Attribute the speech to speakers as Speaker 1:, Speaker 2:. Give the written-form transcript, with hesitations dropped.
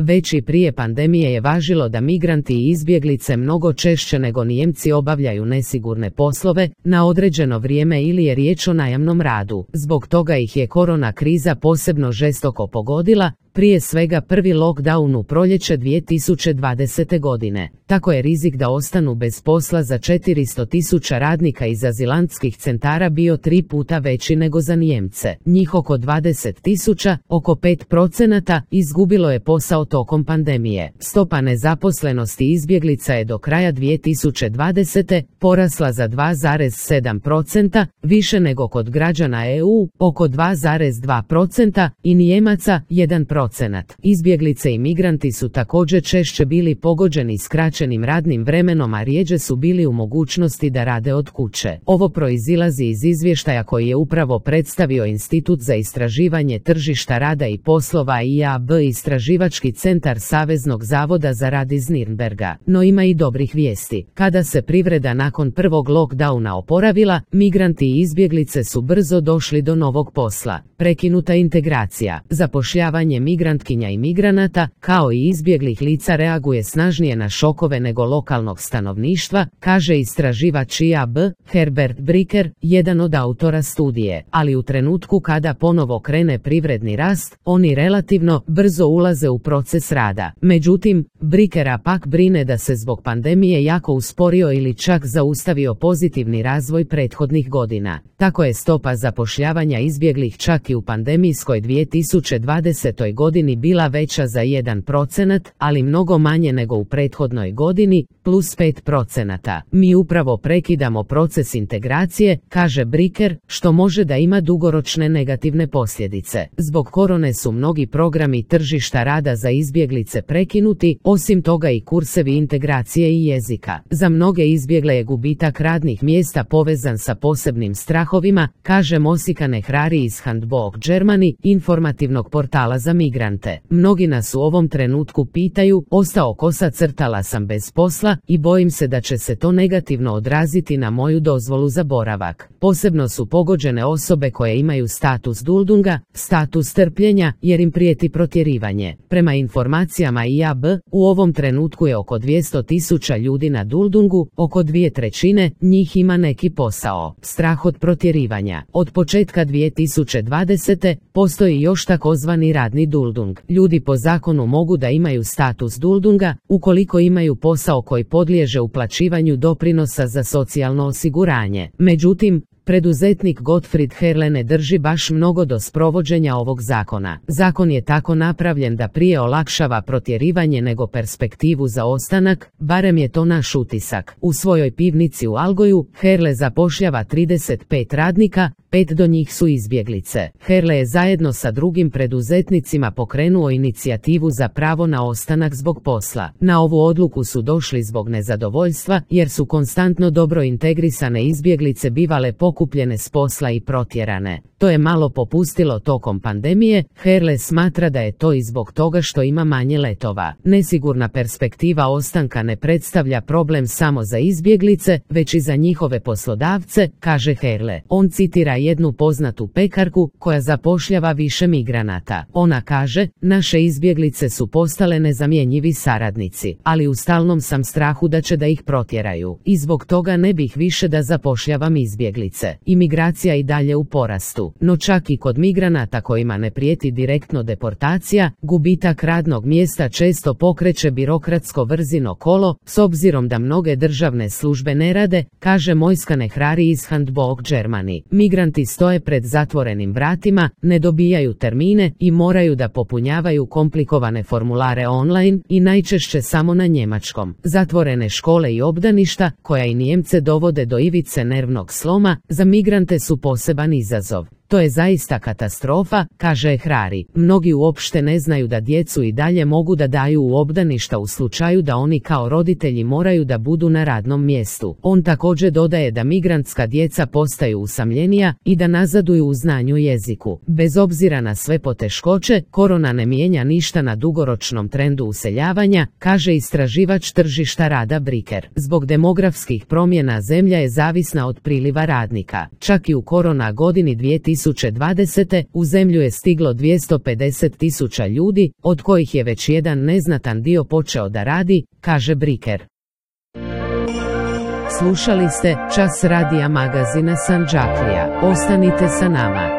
Speaker 1: Već i prije pandemije je važilo da migranti i izbjeglice mnogo češće nego Nijemci obavljaju nesigurne poslove na određeno vrijeme ili je riječ o najamnom radu. Zbog toga ih je korona kriza posebno žestoko pogodila, prije svega prvi lockdown u proljeće 2020. godine. Tako je rizik da ostanu bez posla za 400.000 radnika iz azilantskih centara bio 3 puta veći nego za Nijemce. Njih oko 20.000, oko 5%, izgubilo je posao tokom pandemije. Stopa nezaposlenosti izbjeglica je do kraja 2020. porasla za 2,7%, više nego kod građana EU, oko 2,2%, i Nijemaca 1%. Izbjeglice i migranti su također češće bili pogođeni skraćenim radnim vremenom, a rjeđe su bili u mogućnosti da rade od kuće. Ovo proizilazi iz izvještaja koji je upravo predstavio Institut za istraživanje tržišta rada i poslova IAB, istraživački centar Saveznog zavoda za rad iz Nürnberga. No ima i dobrih vijesti. Kada se privreda nakon prvog lockdowna oporavila, migranti i izbjeglice su brzo došli do novog posla. Prekinuta integracija, zapošljavanje migrantkinja i migranata, kao i izbjeglih lica reaguje snažnije na šokove nego lokalnog stanovništva, kaže istraživač IAB, Herbert Bricker, jedan od autora studije. Ali u trenutku kada ponovo krene privredni rast, oni relativno brzo ulaze u proces rada. Međutim, Brickera pak brine da se zbog pandemije jako usporio ili čak zaustavio pozitivni razvoj prethodnih godina. Tako je stopa zapošljavanja izbjeglih čak i u pandemijskoj 2020. godini bila veća za 1%, ali mnogo manje nego u prethodnoj godini, plus 5%. Mi upravo prekidamo proces integracije, kaže Bricker, što može da ima dugoročne negativne posljedice. Zbog korone su mnogi programi tržišta rada za izbjeglice prekinuti, osim toga i kursevi integracije i jezika. Za mnoge izbjegle je gubitak radnih mjesta povezan sa posebnim strahovima, kaže Mosika Nehrari iz Handbook Germany, informativnog portala za migrante. Mnogi nas u ovom trenutku pitaju, ostao kosa crtala sam bez posla i bojim se da će se to negativno odraziti na moju dozvolu za boravak. Posebno su pogođene osobe koje imaju status duldunga, status trpljenja, jer im prijeti protjerivanje. Prema informacijama IAB, u ovom trenutku je oko 200.000 ljudi na duldungu, oko 2/3 njih ima neki posao. Strah od protjerivanja. Od početka 2020. postoji još takozvani radni duldung. Ljudi po zakonu mogu da imaju status duldunga ukoliko imaju posao koji podliježe uplaćivanju doprinosa za socijalno osiguranje. Međutim, preduzetnik Gottfried Herle ne drži baš mnogo do sprovođenja ovog zakona. Zakon je tako napravljen da prije olakšava protjerivanje nego perspektivu za ostanak, barem je to naš utisak. U svojoj pivnici u Algoju, Herle zapošljava 35 radnika, 5 do njih su izbjeglice. Herle je zajedno sa drugim preduzetnicima pokrenuo inicijativu za pravo na ostanak zbog posla. Na ovu odluku su došli zbog nezadovoljstva, jer su konstantno dobro integrisane izbjeglice bivale pokupljene s posla i protjerane. To je malo popustilo tokom pandemije. Herle smatra da je to i zbog toga što ima manje letova. Nesigurna perspektiva ostanka ne predstavlja problem samo za izbjeglice, već i za njihove poslodavce, kaže Herle. On citira jednu poznatu pekarku koja zapošljava više migranata. Ona kaže, naše izbjeglice su postale nezamjenjivi saradnici, ali u stalnom sam strahu da će da ih protjeraju. I zbog toga ne bih više da zapošljavam izbjeglice. Imigracija i dalje u porastu. No čak i kod migranata kojima ne prijeti direktno deportacija, gubitak radnog mjesta često pokreće birokratsko vrzino kolo, s obzirom da mnoge državne službe ne rade, kaže Mojska Nehrari iz Handbook Germany. Migranti stoje pred zatvorenim vratima, ne dobijaju termine i moraju da popunjavaju komplikovane formulare online i najčešće samo na njemačkom. Zatvorene škole i obdaništa, koja i Nijemce dovode do ivice nervnog sloma, za migrante su poseban izazov. To je zaista katastrofa, kaže Hrari. Mnogi uopšte ne znaju da djecu i dalje mogu da daju u obdaništa u slučaju da oni kao roditelji moraju da budu na radnom mjestu. On također dodaje da migrantska djeca postaju usamljenija i da nazaduju u znanju jeziku. Bez obzira na sve poteškoće, korona ne mijenja ništa na dugoročnom trendu useljavanja, kaže istraživač tržišta rada Bricker. Zbog demografskih promjena zemlja je zavisna od priliva radnika. Čak i u korona godini 2020. 2020. u zemlju je stiglo 250.000 ljudi, od kojih je već jedan neznatan dio počeo da radi, kaže Briker. Slušali ste Čas radija magazina Sandžaklija. Ostanite sa nama.